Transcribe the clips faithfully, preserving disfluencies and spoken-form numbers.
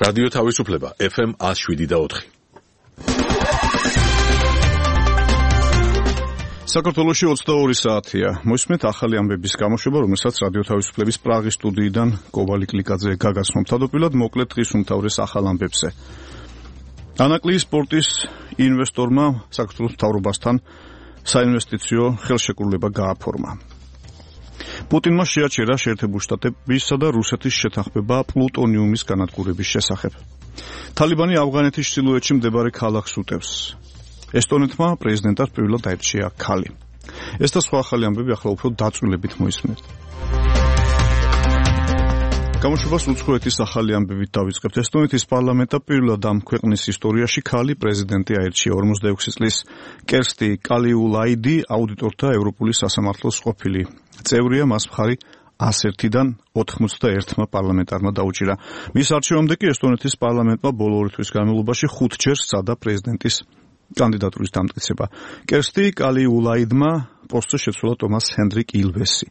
რადიო თავისუფლება ეფ ემ one oh seven და four. საქართველოში ოცდაორი საათია. მოისმენთ ახალი ამბების გამოშვება, რომელსაც რადიო თავისუფლების პრაღის სტუდიიდან კოვალი კლიკაძე გაგაცნობთ. თავდაპირველად მოკლედ დღის უმთავრეს ახალ ამბებზე. ანაკლიის პორტის ინვესტორმა საქართველოს მთავრობასთან საინვესტიციო ხელშეკრულება გააფორმა. პუტინმა შეაჩერა შეერთებული შტატებისა და რუსეთის შეთანხმება პლუტონიუმის განადგურების შესახებ. თალიბანი ავღანეთის ჩრდილოეთში მდებარე ქალაქს უტევს. ესტონეთმა პრეზიდენტად პირველად დაირჩია ქალი. ეს და სხვა ახალი ამბები ახლა უფრო დაწვრილებით მოისმენთ. გამოშვებას უცხოეთის ახალი ამბებით დავიწყებთ. ესტონეთის პარლამენტმა პირველად ამ ქვეყნის ისტორიაში ქალი პრეზიდენტი აირჩია. ორმოცდაექვსი წლის კერსტი კალიულაიდი აუდიტორთა ევროპული სასამართლოს ყოფილი წევრია, მას მხარი one hundred-დან ოთხმოცდაერთმა პარლამენტარმა დაუჭირა. მის არჩევამდე კი ესტონეთის პარლამენტმა ბოლო ორი თვის განმავლობაში ხუთჯერ სცადა პრეზიდენტის კანდიდატურის დამტკიცება. კერსტი კალიულაიდმა პოსტზე შეცვალა ტომას ჰენდრიკ ილვესი.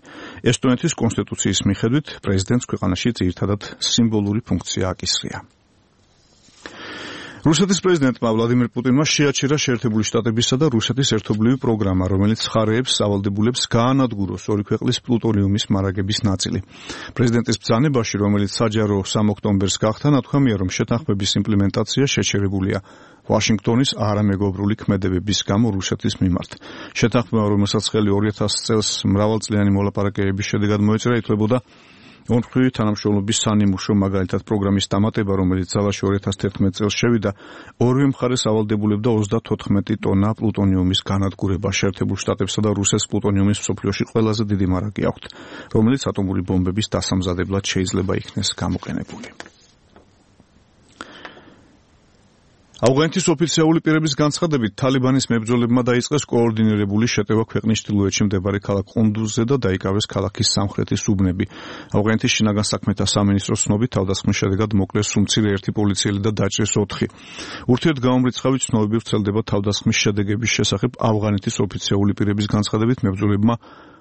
ესტონეთის კონსტიტუციის მიხედვით პრეზიდენტს ქვეყანაში ძირითადად სიმბოლური ფუნქცია აკისრია. რუსეთის პრეზიდენტმა ვლადიმირ პუტინმა შეაჩერა შეერთებული შტატებისა და რუსეთის ერთობლივი პროგრამა, რომელიც ხარეებს სავალდებულებს გაანადგუროს ორი ქვეყნის პლუტონიუმის მარაგების ნაწილი. პრეზიდენტის ბრძანებაში, რომელიც საჯარო სამ ოქტომბერს გახდა, ნათქვამია, რომ შეთანხმების იმპლემენტაცია შეჩერებულია ვაშინგტონის არამეგობრული ქმედებების გამო რუსეთის მიმართ. შეთანხმება, რომელსაც ხელი ორი ათასი წელს მრავალწლიანი მოლაპარაკებების შედეგად მოეწერა, ითვლებოდა ორმხრივი თანამშრომლობის სანიმუშო, მაგალითად პროგრამის დამატება, რომელიც ძალაში ორი ათასი თერთმეტი წელს შევიდა, ორივე მხარეს ავალდებულებდა ოცდათოთხმეტი ტონა პლუტონიუმის განადგურება. შეერთებულ შტატებსა და რუსეთს პლუტონიუმის მსოფლიოში ყველაზე დიდი მარაგი აქვთ, რომელიც ატომური ბომბების დასამზადებლად შეიძლება იქნეს გამოყენებული. ავღანეთის ოფიციალური პირების განცხადებით, თალიბანის მებრძოლებმა დაიწყეს კოორდინირებული შეტევა ქვეყნის ჩრდილოეთში მდებარე ქალაქ ყუნდუზზე და დაიკავეს ქალაქის სამხრეთის უბნები. ავღანეთის შინაგან საქმეთა სამინისტროს ცნობით, თავდასხმის შედეგად მოკლეს უმცირე ერთი პოლიციელი და დაჭრეს ოთხი. ურთიერთგამომრიცხავი ცნობები ვრცელდება თავდასხმის შედეგების შესახებ. ავღანეთის ოფიციალური პირების განცხადებით, მებრძოლებმა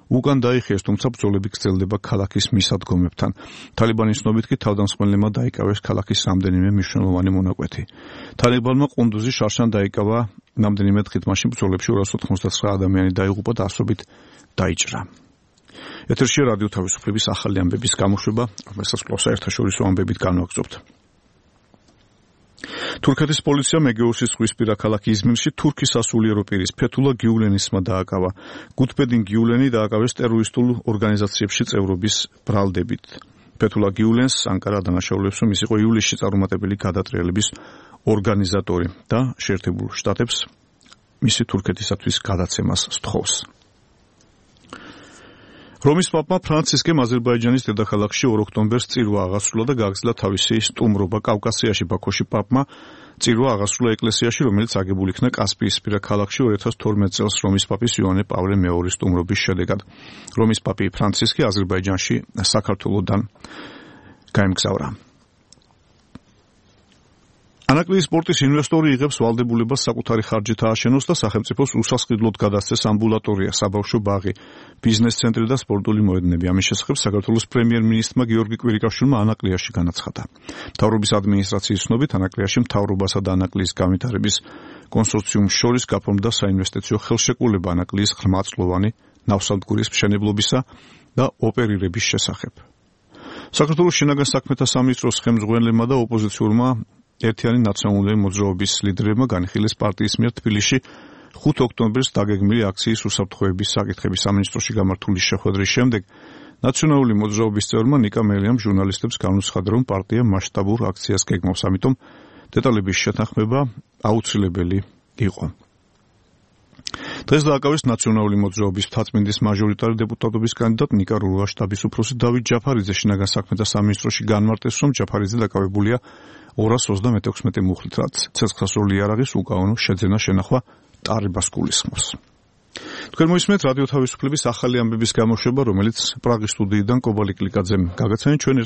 უკან დაიხიეს, თუმცა ბრძოლები გრძელდება ქალაქის მისადგომებთან. თალიბანის ცნობით კი თავდამსხმელებმა დაიკავეს ქალაქის რამდენიმე მნიშვნელოვანი მონაკვეთი. თალიბანმა ყუნდუზი შარშან დაიკავა, რამდენიმე დღით მაშინ ბრძოლებში ორას ოთხმოცდათსცხრა ადამიანი დაიღუპა და ასობით დაიჭრა. ეთერში რადიო თავისუფლების ახალი ამბების გამოშვება, რომელსაც საერთაშორისო ამბებით განვაგრძობთ. თურქეთის პოლიციამ ეგეოსის ზღვისპირა ქალაქ იზმირში თურქის სასულიერო პირის ფეთულა გიულენისმა დააკავა. გუთბედინ გიულენი დააკავეს ტერორისტულ ორგანიზაციებში წევრობის ბრალდებით. ფეთულა გიულენს ანკარა დანაშაულებს, რომ ის იყო ივლისში წარუმატებელი გადატრიალების ორგანიზატორი და შეერთებულ შტატებს მისი თურქეთისათვის გადაცემას სთხოვს. რომის პაპმა ფრანცისკემ აზერბაიჯანის დედაქალაქში ორ ოქტომბერს წირვა აღასრულა და გააგრძელა თავისი სტუმრობა კავკასიაში. ბაქოში პაპმა წირვა აღასრულა ეკლესიაში, რომელიც აგებული იქნა კასპიისპირა ქალაქში ორი ათას თორმეტი წელს რომის პაპის იოანე პავლე მეორის სტუმრობის შედეგად. რომის პაპი ფრანცისკე აზერბაიჯანში საქართველოდან გაემგზავრა. ანაკლიის პორტის ინვესტორი იღებს ვალდებულებას საკუთარი ხარჯით ააშენოს და სახელმწიფოს უსასყიდლოდ გადასცეს ამბულატორია, საბავშვო ბაღი, ბიზნეს ცენტრი და სპორტული მოედნები. ამის შესახებ საქართველოს პრემიერ-მინისტრმა გიორგი კვირიკაშვილმა ანაკლიაში განაცხადა. მთავრობის ადმინისტრაციის ცნობით, ანაკლიაში მთავრობასა და ანაკლიის განვითარების კონსორციუმს შორის გაფორმდა საინვესტიციო ხელშეკრულება ანაკლიის ღრმაწლოვანი ნავსადგურის მშენებლობისა და ოპერირების შესახებ. საქართველოს შინაგან საქმეთა სამინისტროს ხელმძღვანელმა და ოპოზიციურმა ერთიანი ნაციონალური მოძრაობის ლიდერებმა განიხილეს პარტიის მიერ თბილისში ხუთი ოქტომბერს დაგეგმილი აქციის უსაფრთხოების საკითხების სამინისტროში გამართული შეხვედრის შემდეგ ნაციონალური მოძრაობის წევრმა ნიკა მელიამ ჟურნალისტებს განუცხადა, რომ პარტია მასშტაბურ აქციას გეგმავს, ამიტომ დეტალების შეთანხმება აუცილებელი იყო. დღეს დააკავეს ნაციონალური მოძრაობის მთაწმინდის მაჟორიტარი დეპუტატობის კანდიდატ ნიკა რუა შტაბის უფროსი დავით ჯაფარიძე შინაგან საქმეთა სამინისტროში განმარტეს, რომ ჯაფარიძე დაკავებულია ორას ოცდამექვსმეტი მუხლით, რაც ცეცხლსასროლი იარაღის უკანონო შეძენა შენახვა ტარებას გულისხმობს. თქვენ მოისმენთ რადიო თავისუფლების ახალი ამბების გამოშვება, რომელიც პრაღის სტუდიიდან კოვალი კლიკაძემ გაგაცანეთ. ჩვენ